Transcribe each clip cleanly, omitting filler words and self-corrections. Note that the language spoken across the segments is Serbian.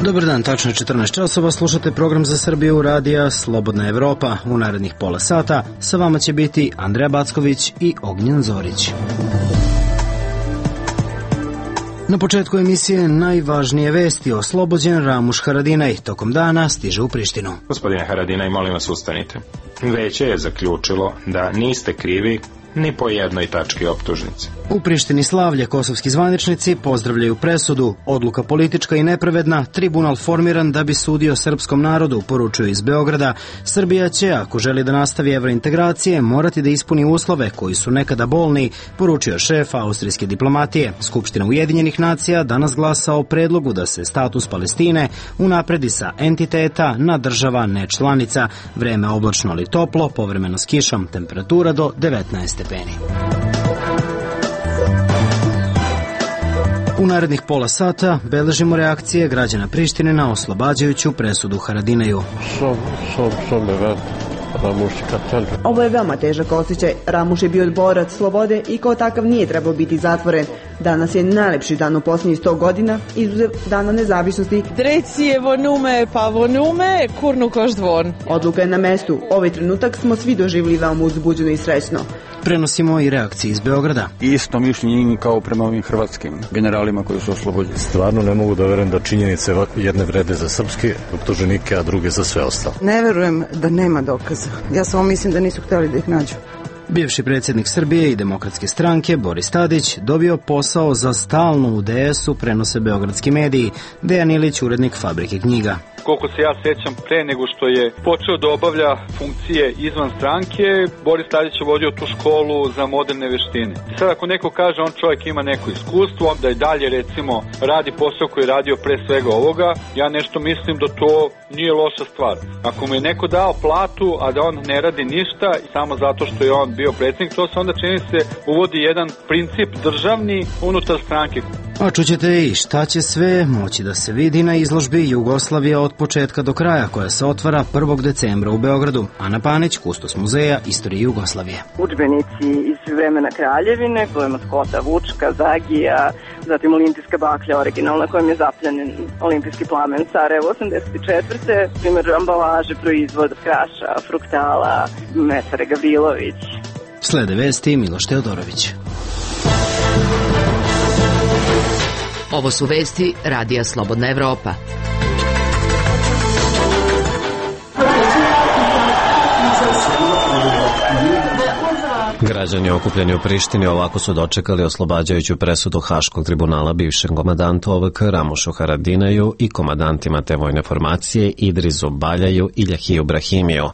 Dobar dan, tačno je 14 časova, slušate program za Srbiju radija Slobodna Evropa. U narednih pola sata sa vama će biti Andreja Backović i Ognjen Zorić. Na početku emisije najvažnije vesti. Oslobođen Ramuš Haradinaj tokom dana stiže u Prištinu. Gospodine Haradinaj, molim vas ustanite. Veće je zaključilo da niste krivi ni po jednoj tački optužnice. U Prištini slavlje, kosovski zvaničnici pozdravljaju presudu. Odluka politička i nepravedna, tribunal formiran da bi sudio srpskom narodu, poručuju iz Beograda. Srbija će, ako želi da nastavi evrointegracije, morati da ispuni uslove koji su nekada bolni, poručio šef austrijske diplomatije. Skupština Ujedinjenih nacija danas glasa o predlogu da se status Palestine unapredi sa entiteta na država nečlanica. Vreme oblačno ali toplo, povremeno s kišom, temperatura do 19 stepeni. U narednih pola sata beležimo reakcije građana Prištine na oslobađajuću presudu Haradinaju. Ovo je veoma težak osjećaj. Ramuš je bio borac slobode i kao takav nije trebao biti zatvoren. Danas je najlepši dan u posljednjih 100 godina, izuzev dana nezavisnosti. Trecije vonume, pa vonume, kurnu koš dvon. Odluka je na mestu. Ovaj trenutak smo svi doživjeli veoma uzbuđeno i srećno. Prenosimo i reakcije iz Beograda. Isto mišljenje kao prema ovim hrvatskim generalima koji su oslobođeni. Stvarno ne mogu da verujem da činjenice jedne vrede za srpske optuženike, a druge za sve ostalo. Ne verujem da nema dokaza. Ja samo mislim da nisu htjeli da ih nađu. Bivši predsjednik Srbije i Demokratske stranke Boris Tadić dobio posao za stalno u DS-u, prenose beogradski mediji. Dejan Ilić, urednik Fabrike knjiga. Koliko se ja sećam, pre nego što je počeo da obavlja funkcije izvan stranke, Boris Tadić je vodio tu školu za moderne veštine. Sad ako neko kaže on čovjek ima neko iskustvo, da i dalje recimo radi posao koji je radio pre svega ovoga, ja nešto mislim da to nije loša stvar. Ako mu je neko dao platu, a da on ne radi ništa samo zato što je on bio predsjednik, to se onda čini se uvodi jedan princip državni unutar stranke. A čućete i šta će sve moći da se vidi na izložbi Jugoslavija od početka do kraja, koja se otvara 1. decembra u Beogradu. Ana Panić, kustos muzeja istorije Jugoslavije. Udžbenici iz vremena Kraljevine, to je maskota Vučka, Zagija, zatim olimpijska baklja originalna kojom je zapljenjen olimpijski plamen Sarajevo 84. Primjer ambalaže, proizvod Kraša, Fruktala, Mesare Gavrilović. Slede vesti Miloš Teodorović. Ovo su vesti Radija Slobodna Evropa. Građani okupljeni u Prištini ovako su dočekali oslobađajuću presudu Haškog tribunala bivšem komandantu OVK Ramušu Haradinaju i komandantima te vojne formacije Idrisu Baljaju i Ljahiju Brahimiju.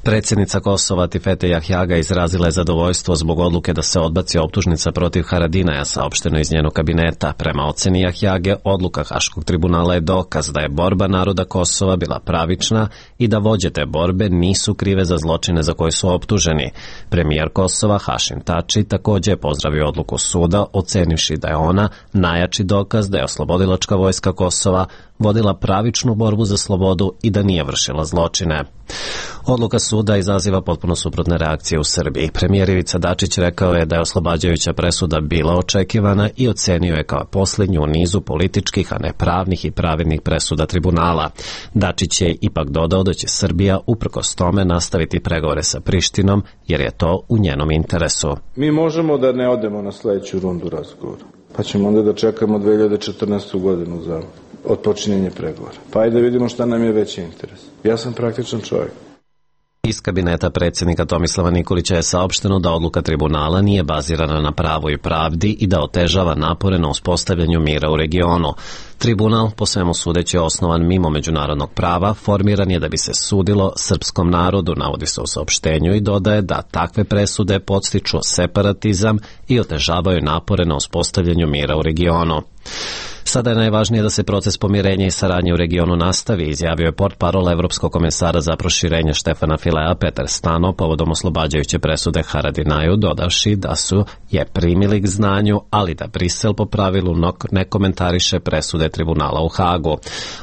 Predsjednica Kosova Tifete Jahjaga izrazila je zadovoljstvo zbog odluke da se odbaci optužnica protiv Haradinaja, saopšteno iz njenog kabineta. Prema oceni Jahjage, odluka Haškog tribunala je dokaz da je borba naroda Kosova bila pravična i da vođe te borbe nisu krive za zločine za koje su optuženi. Premijer Kosova Hašim Tači također je pozdravio odluku suda, ocenivši da je ona najjači dokaz da je oslobodilačka vojska Kosova vodila pravičnu borbu za slobodu i da nije vršila zločine. Odluka suda izaziva potpuno suprotne reakcije u Srbiji. Premijer Ivica Dačić rekao je da je oslobađajuća presuda bila očekivana i ocenio je kao posljednju u nizu političkih, a ne pravnih i pravednih presuda tribunala. Dačić je ipak dodao da će Srbija uprkos tome nastaviti pregovore sa Prištinom, jer je to u njenom interesu. Mi možemo da ne odemo na sljedeću rundu razgovora, pa ćemo onda da čekamo 2014. godinu za otpočinjenje pregovora. Pa ajde vidimo šta nam je veći interes. Ja sam praktičan čovjek. Iz kabineta predsjednika Tomislava Nikolića je saopšteno da odluka tribunala nije bazirana na pravu i pravdi i da otežava napore na uspostavljanju mira u regionu. Tribunal, po svemu sudeći osnovan mimo međunarodnog prava, formiran je da bi se sudilo srpskom narodu, navodi se u saopštenju, i dodaje da takve presude podstiču separatizam i otežavaju napore na uspostavljanju mira u regionu. Sada je najvažnije da se proces pomirenja i saradnje u regionu nastavi, izjavio je portparol Evropskog komesara za proširenje Štefana Filea Petar Stano povodom oslobađajuće presude Haradinaju, dodavši da su je primili k znanju, ali da Brisel po pravilu ne komentariše presude tribunala u Hagu.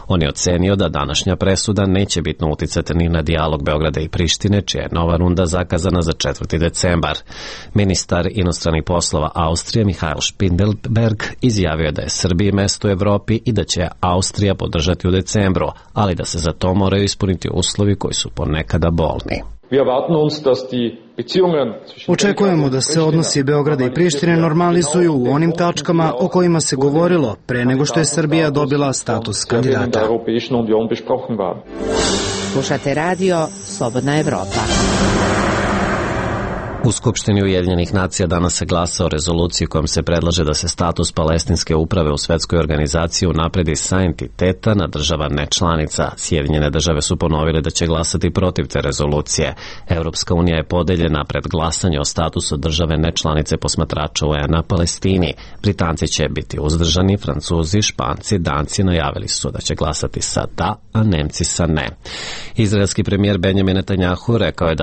On je ocenio da današnja presuda neće bitno uticati ni na dijalog Beograda i Prištine, čija je nova runda zakazana za 4. decembar. Ministar inostranih poslova Austrije Mihael Spindelberg izjavio da je Srbiji mesto vlast u Evropi i da će Austrija podržati u decembru, ali da se za to moraju ispuniti uslovi koji su ponekada bolni. Očekujemo da se odnosi Beograda i Prištine normalizuju u onim tačkama o kojima se govorilo pre nego što je Srbija dobila status kandidata. Slušate radio Slobodna Evropa. U Skupštini Ujedinjenih nacija danas se glasa o rezoluciji kojom se predlaže da se status palestinske uprave u svetskoj organizaciji unapredi sa entiteta na država nečlanica. Sjedinjene države su ponovile da će glasati protiv te rezolucije. Europska unija je podeljena pred glasanje o statusu države nečlanice posmatrača UN na Palestini. Britanci će biti uzdržani, Francuzi, Španci, Danci najavili su da će glasati sa da, a Nemci sa ne. Izraelski premijer Benjamin Netanjahu rekao je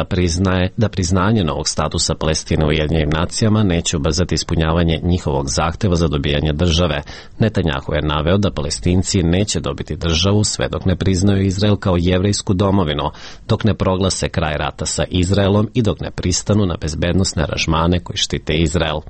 da priznanje novog statusa Palestine u Ujedinjenim nacijama neće ubrzati ispunjavanje njihovog zahteva za dobijanje države. Netanjahu je naveo da Palestinci neće dobiti državu sve dok ne priznaju Izrael kao jevrejsku domovinu, dok ne proglase kraj rata sa Izraelom i dok ne pristanu na bezbednosne aranžmane koji štite Izrael.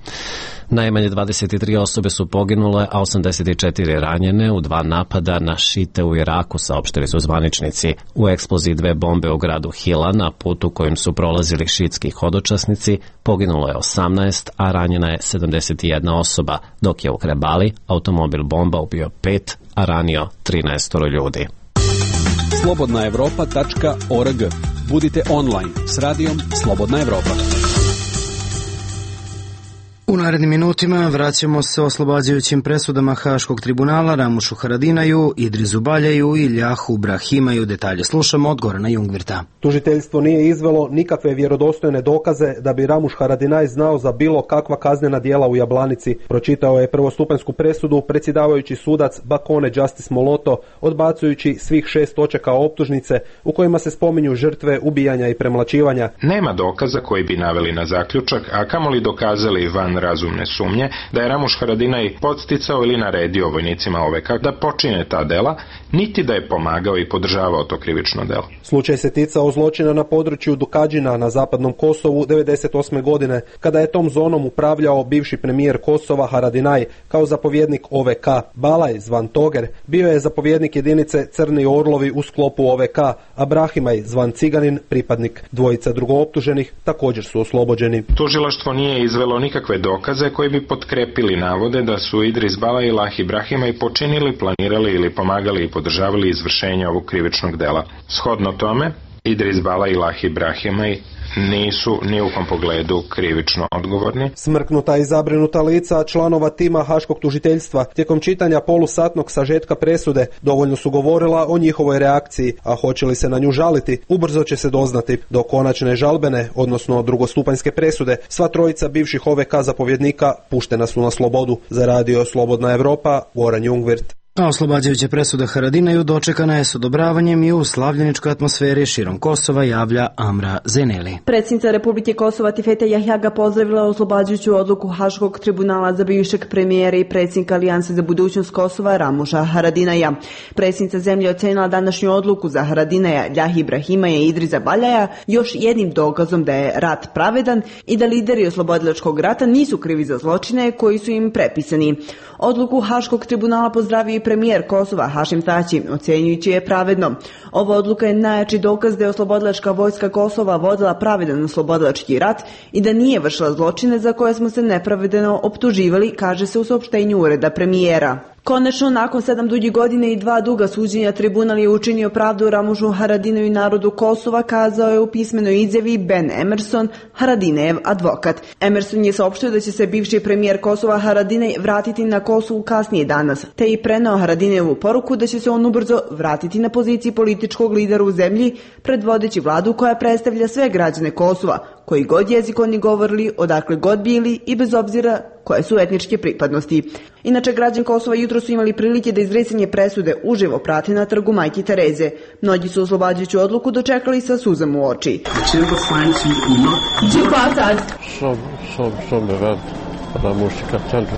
Najmanje 23 osobe su poginule, a 84 ranjene u 2 napada na šite u Iraku, saopštili su zvaničnici. U eksploziji 2 bombe u gradu Hila, na putu kojim su prolazili šitski hodočasnici, poginulo je 18, a ranjena je 71 osoba, dok je u Krebali automobil bomba ubio 5, a ranio 13 ljudi. slobodnaevropa.org. Budite online s radijom Slobodna Evropa. U narednim minutima vraćamo se oslobađajućim presudama Haškog tribunala Ramušu Haradinaju, Idrizu Baljaju i Ljahu Brahimaju. Detalje slušamo od Gorana Jungvirta. Tužiteljstvo nije izvelo nikakve vjerodostojne dokaze da bi Ramuš Haradinaj znao za bilo kakva kaznena djela u Jablanici. Pročitao je prvostupanjsku presudu predsjedavajući sudac Bakone Justice Moloto, odbacujući svih 6 točaka optužnice u kojima se spominju žrtve ubijanja i premlaćivanja. Nema dokaza koji bi naveli na zaključak, a kamoli dokazali van razumne sumnje da je Ramuš Haradinaj podsticao ili naredio vojnicima OVK da počine ta dela, niti da je pomagao i podržavao to krivično delo. Slučaj se ticao zločina na području Dukadžina na zapadnom Kosovu 1998. godine, kada je tom zonom upravljao bivši premijer Kosova Haradinaj kao zapovjednik OVK. Balaj, zvan Toger, bio je zapovjednik jedinice Crni Orlovi u sklopu OVK, a Brahimaj, zvan Ciganin, pripadnik. Dvojica drugooptuženih također su oslobođeni. Tužilaštvo nije izvelo nikakve dokaze koji bi potkrepili navode da su Idris Balaj i Lahi Brahimaj počinili, planirali ili pomagali i podržavali izvršenje ovog krivičnog dela. Shodno tome, Idris Balaj i Lahi Brahimaj nisu ni u kom pogledu krivično odgovorni. Smrknuta i zabrinuta lica članova tima Haškog tužiteljstva tijekom čitanja polusatnog sažetka presude dovoljno su govorila o njihovoj reakciji, a hoće li se na nju žaliti, ubrzo će se doznati. Do konačne žalbene, odnosno drugostupanjske presude, sva trojica bivših OVK zapovjednika puštena su na slobodu. Za radio Slobodna Evropa, Goran Jungvirt. A oslobađajuća presuda Haradinaju dočekana je s odobravanjem i u slavljeničkoj atmosferi širom Kosova, javlja Amra Zeneli. Predsjednica Republike Kosova Tifeta Jahjaga pozdravila oslobađajuću odluku Haškog tribunala za bivšeg premijera i predsjednika Alijanse za budućnost Kosova Ramuša Haradinaja. Predsjednica zemlje ocenila današnju odluku za Haradinaja, Ljahi Brahimaja i Idriza Baljaja još jednim dokazom da je rat pravedan i da lideri oslobodilačkog rata nisu krivi za zločine koji su im prepisani. Odluku Haškog tribunala pozdravio i premijer Kosova Hašim Tači, ocjenjujući je pravedno. Ova odluka je najjači dokaz da je oslobodilačka vojska Kosova vodila pravedan oslobodilački rat i da nije vršila zločine za koje smo se nepravedno optuživali, kaže se u saopštenju ureda premijera. Konačno, nakon 7 duljih godina i 2 duga suđenja, tribunal je učinio pravdu Ramušu Haradinaju i narodu Kosova, kazao je u pismenoj izjavi Ben Emerson, Haradinejev advokat. Emerson je saopštio da će se bivši premijer Kosova Haradinaj vratiti na Kosovu kasnije danas, te i preneo Haradinejevu poruku da će se on ubrzo vratiti na poziciji političkog lidera u zemlji, predvodeći vladu koja predstavlja sve građane Kosova, koji god jezik oni govorili, odakle god bili i bez obzira koje su etničke pripadnosti. Inače, građani Kosova jutro su imali prilike da izricanje presude uživo prate na trgu Majke Tereze. Mnogi su oslobađajuću odluku dočekali sa suzama u oči.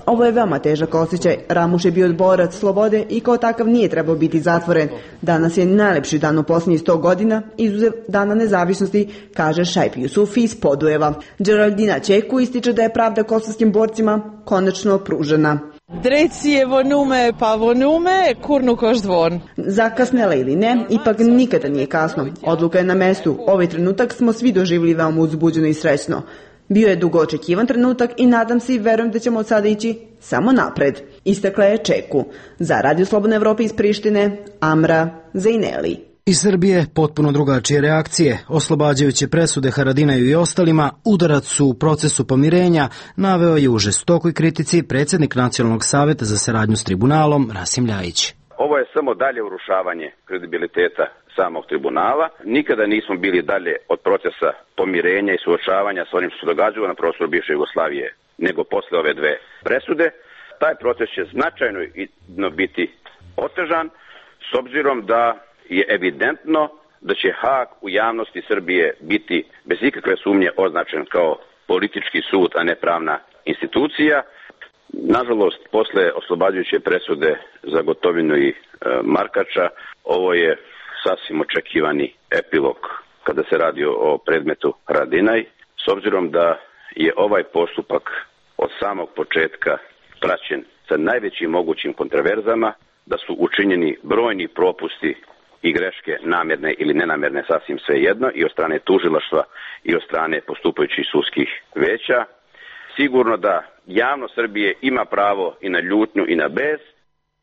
Ovo je veoma težak osjećaj. Ramuš je bio borac slobode i kao takav nije trebao biti zatvoren. Danas je najlepši dan u posljednjih 100 godina, izuzev Dana nezavisnosti, kaže Šajp Jusufi iz Podujeva. Geraldina Čeku ističe da je pravda kosovskim borcima konačno pružena. Drecijevo nume pavonume, kurnu koš dvon. Zakasnela ili ne, ipak nikada nije kasno. Odluka je na mestu. Ovaj trenutak smo svi doživjeli veoma uzbuđeno i srećno. Bio je dugo očekivan trenutak i nadam se i verujem da ćemo od sada ići samo napred. Istakla je Čeku. Za Radio Slobodne Evrope iz Prištine, Amra Zejneli. Iz Srbije potpuno drugačije reakcije, oslobađajuće presude Haradinaju i ostalima, udarac u procesu pomirenja naveo je u žestokoj kritici predsjednik Nacionalnog saveta za saradnju s tribunalom Rasim Ljajić. Ovo je samo dalje urušavanje kredibiliteta samog tribunala. Nikada nismo bili dalje od procesa pomirenja i suočavanja s onim što se događalo na prostoru bivše Jugoslavije nego posle ove dve presude. Taj proces će značajno biti otežan s obzirom da je evidentno da će Hag u javnosti Srbije biti bez ikakve sumnje označen kao politički sud, a ne pravna institucija. Nažalost, posle oslobađajuće presude za Gotovinu i Markača, ovo je sasvim očekivani epilog kada se radi o predmetu Haradinaj, s obzirom da je ovaj postupak od samog početka praćen sa najvećim mogućim kontraverzama, da su učinjeni brojni propusti i greške namjerne ili nenamjerne, sasvim svejedno, i od strane tužilaštva i od strane postupajućih sudskih veća. Sigurno da javnost Srbije ima pravo i na ljutnju i na bes.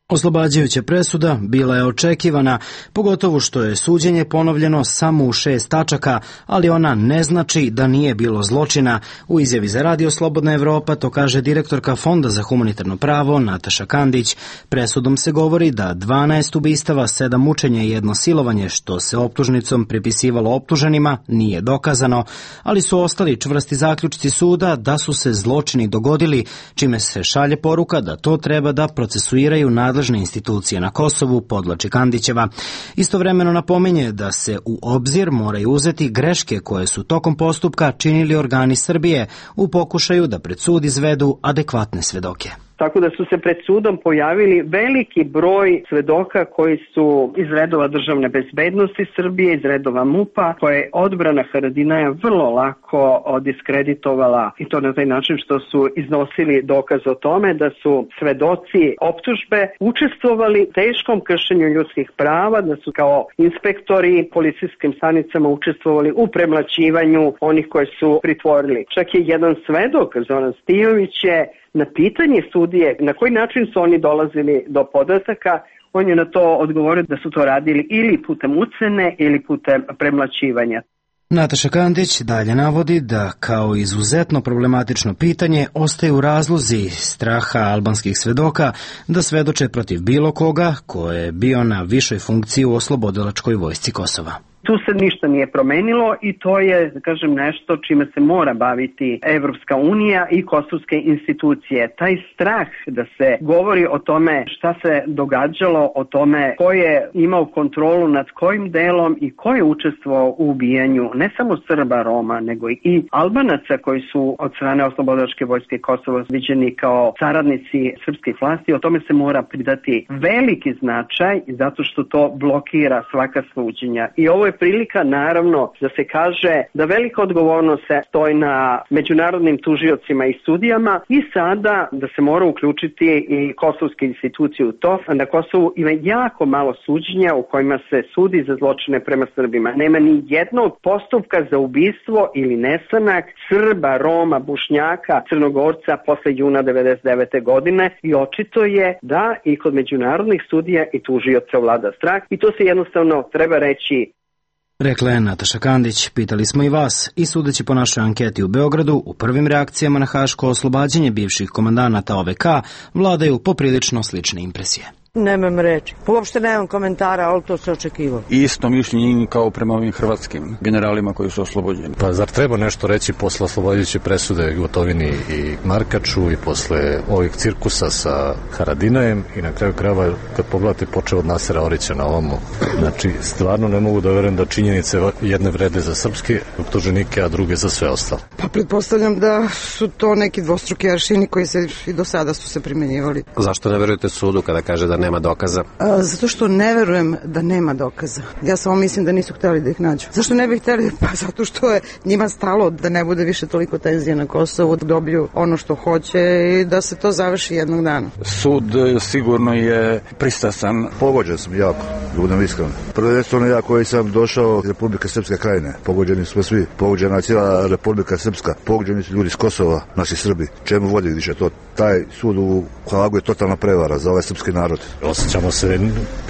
Oslobađajuća presuda bila je očekivana, pogotovo što je suđenje ponovljeno samo u 6 tačaka, ali ona ne znači da nije bilo zločina. U izjavi za Radio Slobodna Evropa to kaže direktorka Fonda za humanitarno pravo Nataša Kandić. Presudom se govori da 12 ubistava, 7 mučenja i 1 silovanje, što se optužnicom pripisivalo optuženima, nije dokazano, ali su ostali čvrsti zaključci suda da su se zločini dogodili, čime se šalje poruka da to treba da procesuiraju nadležne institucije na Kosovu, podvlači Kandićeva. Istovremeno napominje da se u obzir moraju uzeti greške koje su tokom postupka činili organi Srbije u pokušaju da pred sud izvedu adekvatne svedoke. Tako da su se pred sudom pojavili veliki broj svedoka koji su iz redova državne bezbednosti Srbije, iz redova MUP-a, koje je odbrana Haradinaja vrlo lako diskreditovala, i to na taj način što su iznosili dokaz o tome da su svedoci optužbe učestvovali u teškom kršenju ljudskih prava, da su kao inspektori policijskim stanicama učestvovali u premlaćivanju onih koje su pritvorili. Čak je jedan svedok, Zoran Stijović, je na pitanje sudije na koji način su oni dolazili do podataka, on je na to odgovorio da su to radili ili putem ucene ili putem premlaćivanja. Nataša Kandić dalje navodi da kao izuzetno problematično pitanje ostaju razlozi straha albanskih svedoka da svedoče protiv bilo koga ko je bio na višoj funkciji u oslobodilačkoj vojsci Kosova. Tu se ništa nije promenilo i to je, da kažem, nešto čime se mora baviti Evropska unija i kosovske institucije. Taj strah da se govori o tome šta se događalo, o tome ko je imao kontrolu nad kojim delom i ko je učestvovao u ubijanju ne samo Srba, Roma, nego i Albanaca koji su od strane oslobodilačke vojske Kosova viđeni kao saradnici srpskih vlasti. O tome se mora pridati veliki značaj zato što to blokira svaka suđenja. I ovo je prilika, naravno, da se kaže da velika odgovornost se stoji na međunarodnim tužiocima i sudijama i sada da se mora uključiti i kosovske institucije u to. Na Kosovu ima jako malo suđenja u kojima se sudi za zločine prema Srbima. Nema ni jednog postupka za ubistvo ili nestanak Srba, Roma, Bošnjaka, Crnogorca posle juna 1999. godine i očito je da i kod međunarodnih sudija i tužioca vlada strah i to se jednostavno treba reći. Rekla je Nataša Kandić. Pitali smo i vas i sudeći po našoj anketi u Beogradu, u prvim reakcijama na haško oslobađanje bivših komandanata OVK vladaju poprilično slične impresije. Nemam reči. Uopšte nemam komentara, ali to se očekivalo. Isto mišljenje kao prema ovim hrvatskim generalima koji su oslobođeni. Pa zar treba nešto reći posle oslobađajuće presude Gotovini i Markaču i posle ovih cirkusa sa Haradinajem i na kraju krajeva kad pogledate počeo od Nasera Orića na ovomu. Znači, stvarno ne mogu da verujem da činjenice jedne vrede za srpske optuženike, a druge za sve ostalo. Pa pretpostavljam da su to neki dvostruki aršini koji se i do sada su se primenjivali. Zašto ne verujete sudu kada kaže da nema dokaza? Zato što ne verujem da nema dokaza. Ja samo mislim da nisu hteli da ih nađu. Zašto ne bi hteli? Pa zato što je njima stalo da ne bude više toliko tenzije na Kosovu, da dobiju ono što hoće i da se to završi jednog dana. Sud sigurno je pristrasan. Pogođen sam jako, da budem iskren. Prvenstveno ja koji sam došao iz Republike Srpske Krajine. Pogođeni smo svi. Pogođena je cijela Republika Srpska. Pogođeni su ljudi iz Kosova, naši Srbi. Čemu vodi više to? Taj sud u Hagu je totalna prevara za ovaj srpski narod. Osjećamo se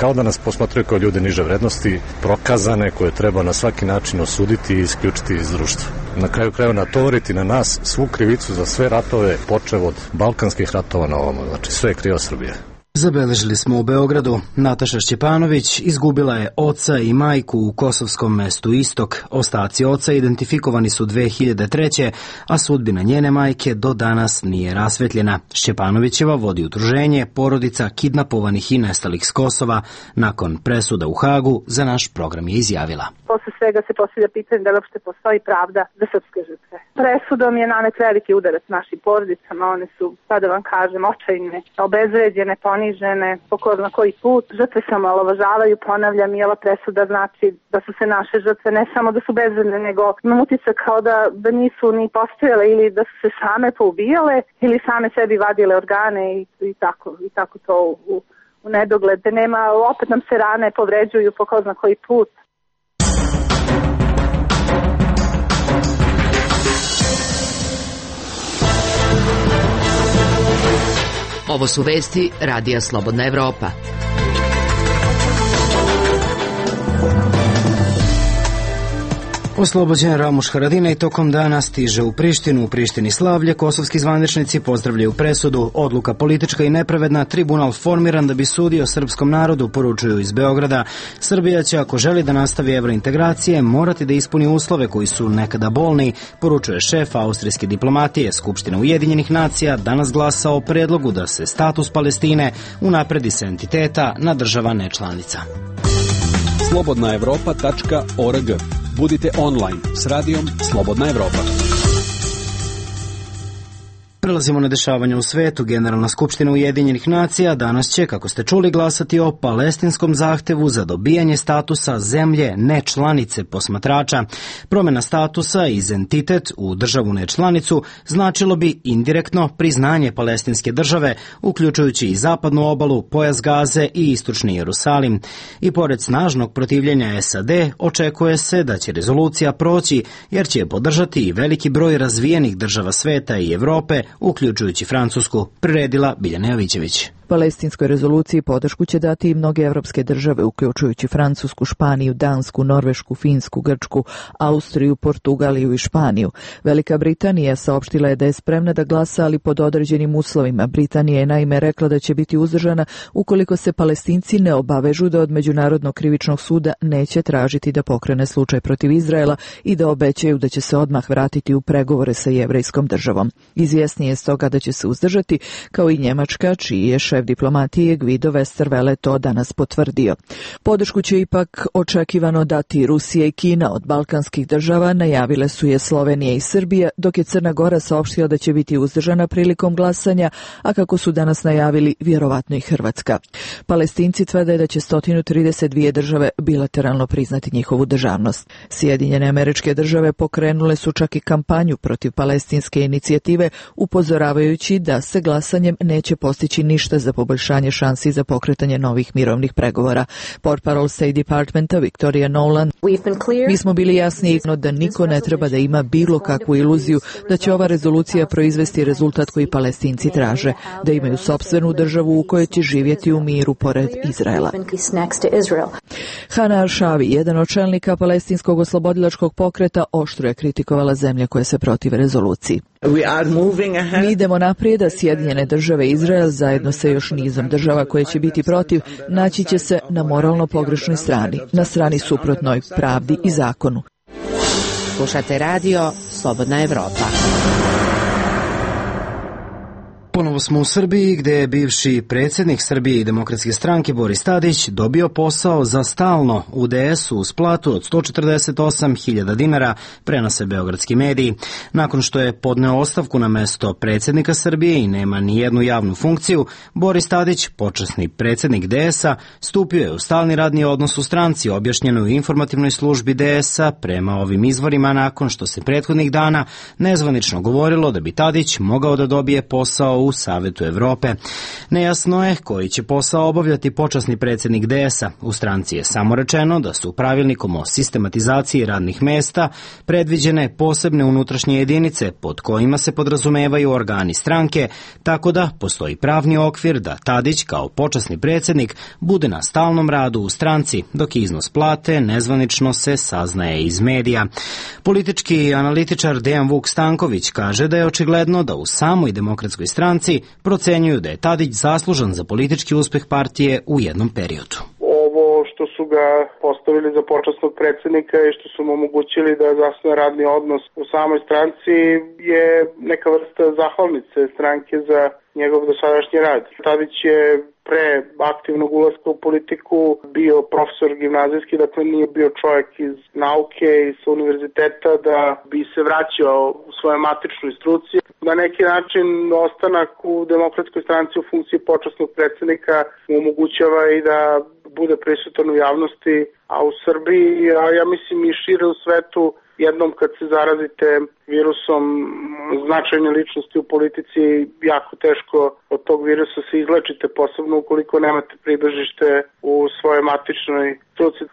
kao da nas posmatraju kao ljude niže vrednosti, prokazane, koje treba na svaki način osuditi i isključiti iz društva. Na kraju krajeva natovariti na nas svu krivicu za sve ratove, počev od balkanskih ratova na ovamo. Znači sve je kriva Srbija. Zabeležili smo u Beogradu. Nataša Šćepanović izgubila je oca i majku u kosovskom mestu Istok. Ostaci oca identifikovani su 2003. a sudbina njene majke do danas nije rasvetljena. Šćepanovićeva vodi udruženje porodica kidnapovanih i nestalih s Kosova. Nakon presuda u Hagu za naš program je izjavila. Posle svega se postavlja pitanje da li uopšte postoji pravda za srpske žrtve. Presudom je nanet veliki udarac našim porodicama. One su, pa da vam kažem, očajne, obezvređene, ponižene, po ko zna koji put. Žrtve se omalovažavaju, ponavljam, i ova presuda znači da su se naše žrtve ne samo da su bezvredne, nego imam utisak kao da nisu ni postojale ili da su se same poubijale ili same sebi vadile organe i tako to u nedogled. Nema, opet nam se rane povređuju po ko zna koji put. Ovo su vesti Radija Slobodna Evropa. Oslobođen Ramuš Haradinaj tokom dana stiže u Prištinu. U Prištini slavlje, kosovski zvaničnici pozdravljaju presudu. Odluka politička i nepravedna, tribunal formiran da bi sudio srpskom narodu, poručuju iz Beograda. Srbija će, ako želi da nastavi evrointegracije, morati da ispuni uslove koji su nekada bolni, poručuje šef austrijske diplomatije. Skupština Ujedinjenih nacija danas glasa o predlogu da se status Palestine unapredi sa entiteta na država nečlanica. slobodnaevropa.org. Budite online s radijom Slobodna Evropa. Prelazimo na dešavanja u svetu. Generalna skupština Ujedinjenih nacija danas će, kako ste čuli, glasati o palestinskom zahtevu za dobijanje statusa zemlje nečlanice posmatrača. Promjena statusa iz entitet u državu nečlanicu značilo bi indirektno priznanje palestinske države, uključujući i zapadnu obalu, pojas Gaze i istočni Jerusalim. I pored snažnog protivljenja SAD, očekuje se da će rezolucija proći, jer će je podržati i veliki broj razvijenih država sveta i Evrope, uključujući Francusku, priredila Biljana Jovićević. Palestinskoj rezoluciji podršku će dati i mnoge evropske države, uključujući Francusku, Španiju, Dansku, Norvešku, Finsku, Grčku, Austriju, Portugaliju i Španiju. Velika Britanija saopštila je da je spremna da glasa, ali pod određenim uslovima. Britanija je naime rekla da će biti uzdržana ukoliko se Palestinci ne obavežu da od Međunarodnog krivičnog suda neće tražiti da pokrene slučaj protiv Izraela i da obećaju da će se odmah vratiti u pregovore sa jevrejskom državom. Izvjesnije je stoga da će se uzdržati, kao i Njemačka, čiji je šef diplomatije Guido Westerwelle to danas potvrdio. Podršku će ipak očekivano dati Rusija i Kina. Od balkanskih država najavile su je Slovenija i Srbija, dok je Crna Gora saopštila da će biti uzdržana prilikom glasanja, a kako su danas najavili, vjerovatno i Hrvatska. Palestinci tvrde da će 132 države bilateralno priznati njihovu državnost. Sjedinjene Američke Države pokrenule su čak i kampanju protiv palestinske inicijative, upozoravajući da se glasanjem neće postići ništa za poboljšanje šansi za pokretanje novih mirovnih pregovora. Portparol State Departmenta Victoria Nolan: mi smo bili jasni da niko ne treba da ima bilo kakvu iluziju da će ova rezolucija proizvesti rezultat koji Palestinci traže, da imaju sopstvenu državu u kojoj će živjeti u miru pored Izraela. Hana Arshavi, jedan od čelnika palestinskog oslobodilačkog pokreta, oštro je kritikovala zemlje koje se protive rezoluciji. Mi idemo naprijed, a Sjedinjene države i Izrael zajedno sa još nizom država koje će biti protiv naći će se na moralno pogrešnoj strani, na strani suprotnoj pravdi i zakonu. Slušate radio Slobodna Evropa. Ponovo smo u Srbiji, gde je bivši predsjednik Srbije i Demokratske stranke Boris Tadić dobio posao za stalno u DS-u uz platu od 148.000 dinara, prenose beogradski mediji. Nakon što je podneo ostavku na mesto predsjednika Srbije i nema ni jednu javnu funkciju, Boris Tadić, počasni predsjednik DS-a, stupio je u stalni radni odnos u stranci, objašnjeno u informativnoj službi DS-a prema ovim izvorima, nakon što se prethodnih dana nezvanično govorilo da bi Tadić mogao da dobije posao u Savetu Evrope. Nejasno je koji će posao obavljati počasni predsjednik DS-a. U stranci je samo rečeno da su pravilnikom o sistematizaciji radnih mesta predviđene posebne unutrašnje jedinice pod kojima se podrazumevaju organi stranke, tako da postoji pravni okvir da Tadić kao počasni predsjednik bude na stalnom radu u stranci, dok iznos plate nezvanično se saznaje iz medija. Politički analitičar Dejan Vuk Stanković kaže da je očigledno da u samoj Demokratskoj stranci procenjuju da je Tadić zaslužan za politički uspeh partije u jednom periodu. Ovo što su ga postavili za počasnog predsjednika i što su mu omogućili da zasnuje radni odnos u samoj stranci je neka vrsta zahvalnice stranke za njegov dosadašnji rad. Tadić je pre aktivnog ulaska u politiku bio profesor gimnazijski, dakle nije bio čovjek iz nauke i sa univerziteta da bi se vraćao u svoje matičnoj struci. Na neki način ostanak u Demokratskoj stranci u funkciji počasnog predsjednika mu omogućava i da bude prisutan u javnosti, a u Srbiji, a ja mislim i šire u svetu, jednom kad se zarazite virusom, značajne ličnosti u politici, jako teško od tog virusa se izlečite, posebno ukoliko nemate pribežište u svojoj matičnoj struci.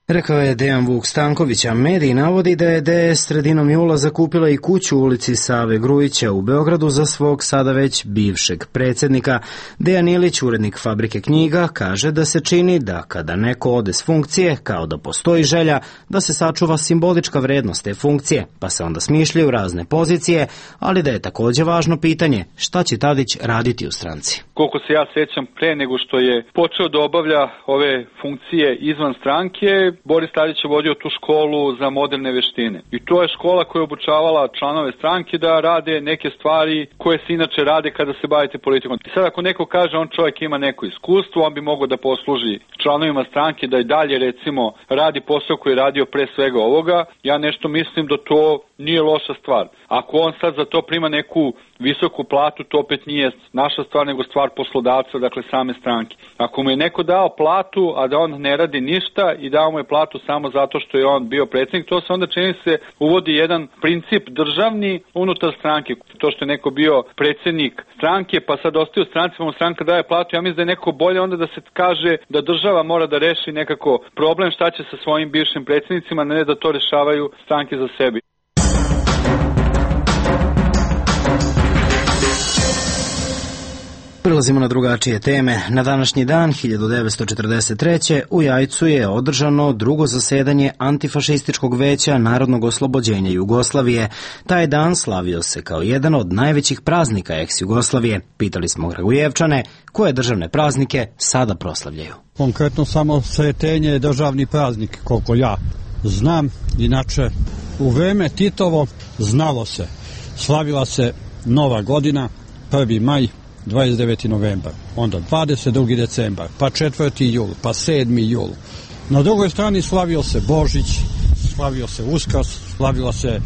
Rekao je Dejan Vuk Stanković, a mediji navodi da je DS sredinom jula zakupila i kuću u ulici Save Grujića u Beogradu za svog sada već bivšeg predsjednika. Dejan Ilić, urednik Fabrike knjiga, kaže da se čini da kada neko ode s funkcije, kao da postoji želja da se sačuva simbolička vrednost te funkcije, pa se onda smišljaju razne pozicije, ali da je također važno pitanje šta će Tadić raditi u stranci. Koliko se ja sećam, pre nego što je počeo da obavlja ove funkcije izvan stranke, Boris Tadić je vodio tu školu za moderne veštine. I to je škola koja je obučavala članove stranke da rade neke stvari koje se inače rade kada se bavite politikom. I sad ako neko kaže on čovjek ima neko iskustvo, on bi mogao da posluži članovima stranke da i dalje recimo radi posao koji je radio pre svega ovoga. Ja nešto mislim da to nije loša stvar. Ako on sad za to prima neku visoku platu, to opet nije naša stvar, nego stvar poslodavca, dakle same stranke. Ako mu je neko dao platu, a da on ne radi ništa i dao mu je platu samo zato što je on bio predsjednik, to se onda čini se uvodi jedan princip državni unutar stranke. To što je neko bio predsjednik stranke, pa sad ostaje u stranci, pa mu stranka daje platu, ja mislim da je neko bolje onda da se kaže da država mora da reši nekako problem šta će sa svojim bivšim predsjednicima, ne da to rešavaju stranke za sebi. Prelazimo na drugačije teme. Na današnji dan, 1943. u Jajcu je održano drugo zasedanje Antifašističkog veća Narodnog oslobođenja Jugoslavije. Taj dan slavio se kao jedan od najvećih praznika ex-Jugoslavije. Pitali smo Kragujevčane koje državne praznike sada proslavljaju. Konkretno samo Sretenje je državni praznik, koliko ja znam. Inače, u vreme Titovo znalo se. Slavila se Nova godina, 1. maj, 29. novembar, onda 22. decembar, pa 4. jul, pa 7. jul. Na drugoj strani slavio se Božić, slavio se Uskrs, slavila se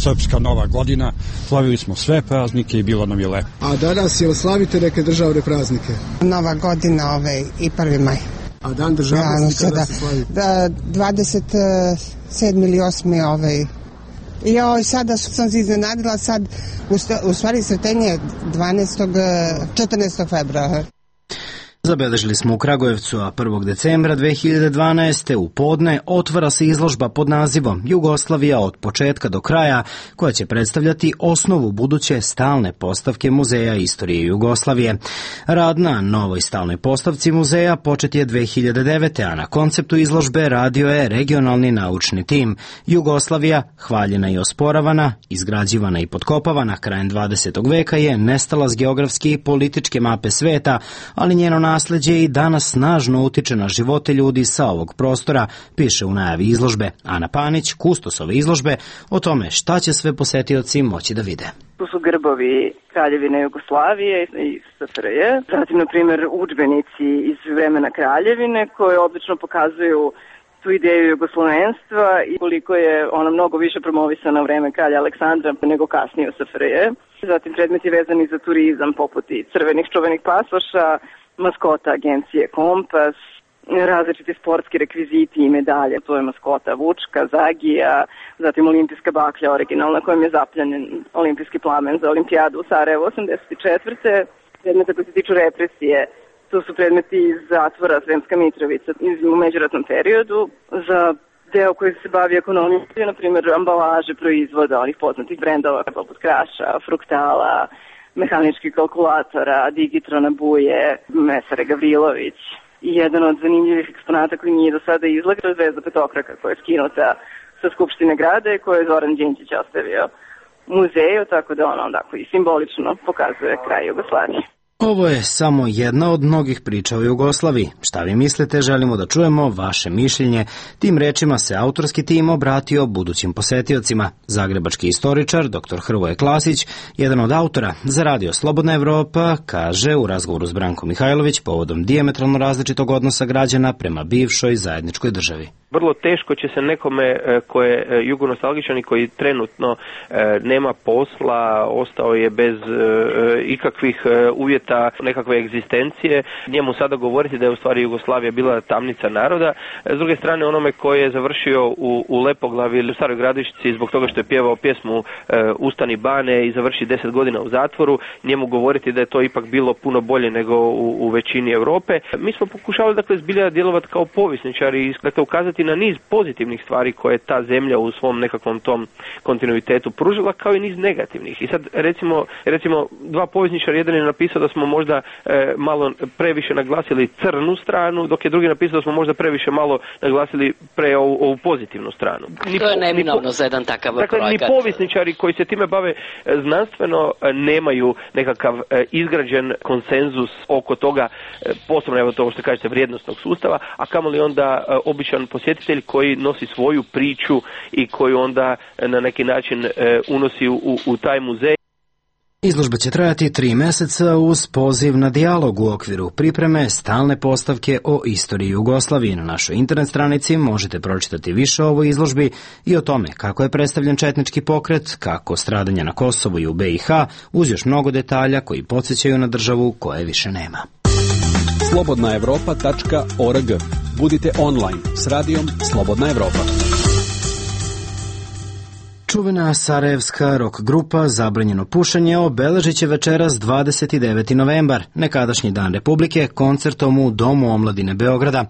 Srpska Nova godina, slavili smo sve praznike i bilo nam je lepo. A danas jel slavite neke državne praznike? Nova godina i 1. maj. A dan državnosti kada se slavi? 27. ili 8. Joj, sada sam se iznenadila, sad u stvari Sretenje 14. februara. Zabeležili smo u Kragujevcu, a 1. decembra 2012. u podne otvara se izložba pod nazivom Jugoslavija od početka do kraja, koja će predstavljati osnovu buduće stalne postavke Muzeja istorije Jugoslavije. Rad na novoj stalnoj postavci muzeja počet je 2009. a na konceptu izložbe radio je regionalni naučni tim. Jugoslavija, hvaljena i osporavana, izgrađivana i potkopavana krajem 20. veka je nestala s geografske i političke mape sveta, ali njeno nasleđe i danas snažno utiče na živote ljudi sa ovog prostora, piše u najavi izložbe. Ana Panić, kustos ove izložbe, o tome šta će sve posetioci moći da vide. Tu su grbovi Kraljevine Jugoslavije i SFRJ. Zatim, na primjer, udžbenici iz vremena Kraljevine koje odlično pokazuju tu ideju jugoslovenstva i koliko je ona mnogo više promovisana u vreme kralja Aleksandra nego kasnije u SFRJ. Zatim predmeti vezani za turizam poput i crvenih čuvenih pasoša, maskota agencije Kompas, različiti sportski rekviziti i medalje, to je maskota Vučka, Zagija, zatim olimpijska baklja originalna kojom je zapljenjen olimpijski plamen za olimpijadu u Sarajevu 84. Predmeta koji se tiču represije, to su predmeti iz zatvora Sremska Mitrovica u međuratnom periodu, za deo koji se bavi ekonomijom, na primjer ambalaže proizvoda onih poznatih brendova poput Kraša, Fruktala, mehaničkih kalkulatora, Digitrona Buje, Mesare Gavrilović. I jedan od zanimljivih eksponata koji nije do sada izlagao je zvezda petokraka koja je skinuta sa Skupštine grada i koju je Zoran Đinđić ostavio muzeju, tako da ono onako i simbolično pokazuje kraj Jugoslavije. Ovo je samo jedna od mnogih priča o Jugoslaviji. Šta vi mislite, želimo da čujemo vaše mišljenje. Tim rečima se autorski tim obratio budućim posetiocima. Zagrebački istoričar dr. Hrvoje Klasić, jedan od autora za radio Slobodna Evropa, kaže u razgovoru s Brankom Mihajlović povodom dijametralno različitog odnosa građana prema bivšoj zajedničkoj državi. Vrlo teško će se nekome ko je jugonostalgičan i koji trenutno nema posla, ostao je bez ikakvih uvjeta nekakve egzistencije, njemu sada govoriti da je u stvari Jugoslavija bila tamnica naroda. S druge strane, onome koji je završio u Lepoglavi ili u Staroj Gradišci zbog toga što je pjevao pjesmu Ustani bane i završi 10 godina u zatvoru, njemu govoriti da je to ipak bilo puno bolje nego u većini Europe. Mi smo pokušali dakle zbilja djelovati kao povjesničari i dakle ukazati na niz pozitivnih stvari koje je ta zemlja u svom nekakvom tom kontinuitetu pružila, kao i niz negativnih. I sad recimo dva povjesničara, jedan je napisao da smo možda malo previše naglasili crnu stranu, dok je drugi napisao da smo možda previše malo naglasili ovu pozitivnu stranu. To je neminovno za jedan takav projekat. Dakle, ni povjesničari koji se time bave znanstveno nemaju nekakav izgrađen konsenzus oko toga, posebno evo to što kažete vrijednostnog sustava, a kamoli onda običan posjetitelj koji nosi svoju priču i koju onda na neki način unosi u taj muzej. Izložba će trajati 3 meseca uz poziv na dijalog u okviru pripreme stalne postavke o istoriji Jugoslavije. Na našoj internet stranici možete pročitati više o ovoj izložbi i o tome kako je predstavljen četnički pokret, kako stradanja na Kosovu i u BiH, uz još mnogo detalja koji podsjećaju na državu koje više nema. slobodnaevropa.org. Budite online s radijom Slobodna Evropa. Čuvena sarajevska rock grupa Zabranjeno pušenje obeležit će večeras 29. novembar, nekadašnji dan Republike, koncertom u Domu omladine Beograda.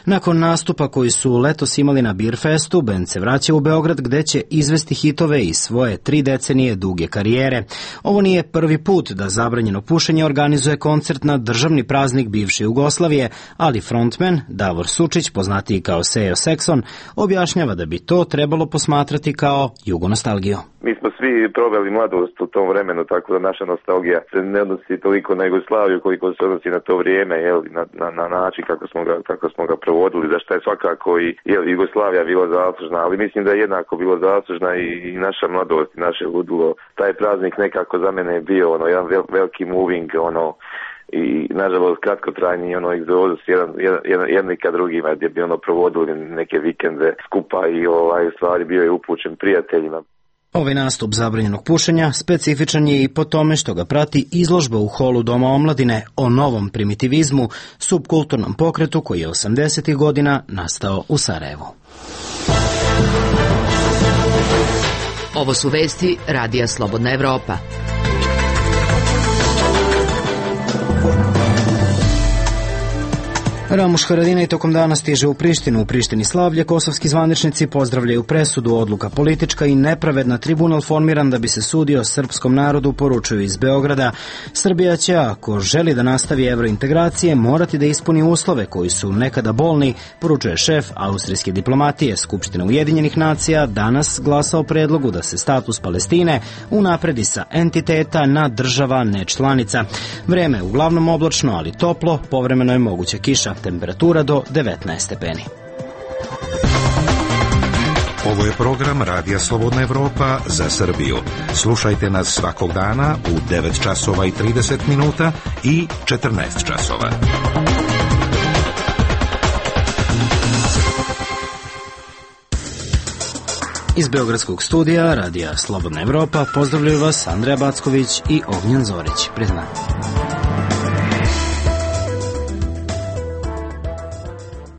Nakon nastupa koji su letos imali na Beerfestu, bend se vraća u Beograd gde će izvesti hitove iz svoje 3 decenije duge karijere. Ovo nije prvi put da Zabranjeno pušenje organizuje koncert na državni praznik bivše Jugoslavije, ali frontman Davor Sučić, poznatiji kao Sejo Sekson, objašnjava da bi to trebalo posmatrati kao jugonostalgiju. Mi smo svi proveli mladost u tom vremenu, tako da naša nostalgija se ne odnosi toliko na Jugoslaviju koliko se odnosi na to vrijeme, na način kako smo ga provodili, za što je svakako i Jugoslavija bila zaslužna, ali mislim da je jednako bilo zaslužna i naša mladost i naše ludilo. Taj praznik nekako za mene je bio jedan veliki moving, i nažalost kratkotrajni egzodus jedni ka drugima gdje bi provodili neke vikende skupa i u stvari bio je upućen prijateljima. Ovaj nastup Zabranjenog pušenja specifičan je i po tome što ga prati izložba u holu Doma omladine o novom primitivizmu, subkulturnom pokretu koji je 80. godina nastao u Sarajevu. Ovo su vesti Radija Slobodna Evropa. Ramuš Haradinaj tokom dana stiže u Prištinu. U Prištini slavlje kosovski zvaničnici pozdravljaju presudu, odluka politička i nepravedna, tribunal formiran da bi se sudio srpskom narodu, poručuju iz Beograda. Srbija će, ako želi da nastavi evrointegracije, morati da ispuni uslove koji su nekada bolni, poručuje šef austrijske diplomatije. Skupština Ujedinjenih nacija danas glasa o predlogu da se status Palestine unapredi sa entiteta na država nečlanica. Vreme je uglavnom oblačno, ali toplo, povremeno je moguća kiša. Temperatura do 19 stepeni. Ovo je program Radija Slobodna Evropa za Srbiju. Slušajte nas svakog dana u 9 časova i 30 minuta i 14 časova. Iz Beogradskog studija Radija Slobodna Evropa pozdravljaju vas Andreja Backović i Ognjen Zorić. Prijatno.